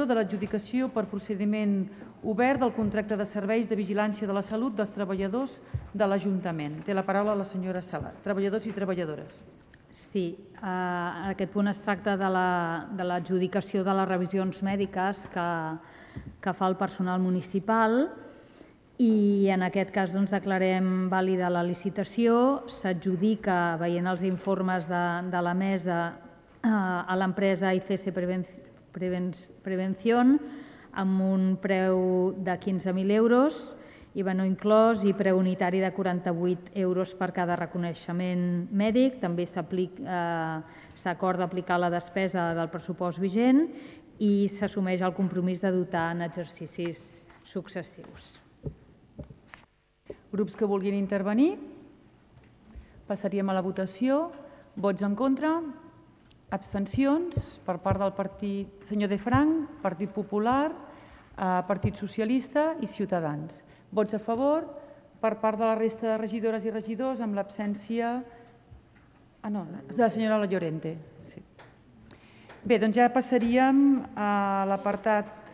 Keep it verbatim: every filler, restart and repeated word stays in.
de l'adjudicació per procediment obert del contracte de serveis de vigilància de la salut dels treballadors de l'Ajuntament. Té la paraula la senyora Sala. Treballadors i treballadores. Sí, eh, en aquest punt es tracta de l'adjudicació de les revisions mèdiques que, que fa el personal municipal i en aquest cas doncs, declarem vàlida la licitació, s'adjudica, veient els informes de, de la mesa, eh, a l'empresa I C S Prevención amb un preu de quinze mil euros, I V A no inclòs i preu unitari de quaranta-vuit euros per cada reconeixement mèdic. També s'acorda aplicar la despesa del pressupost vigent i s'assumeix el compromís de dotar en exercicis successius. Grups que vulguin intervenir? Passaríem a la votació. Vots en contra? Abstencions per part del partit senyor De Frank, Partit Popular, Partit Socialista i Ciutadans. Vots a favor per part de la resta de regidores i regidors amb l'absència ah, no, de la senyora Llorente. Sí. Bé, doncs ja passaríem a l'apartat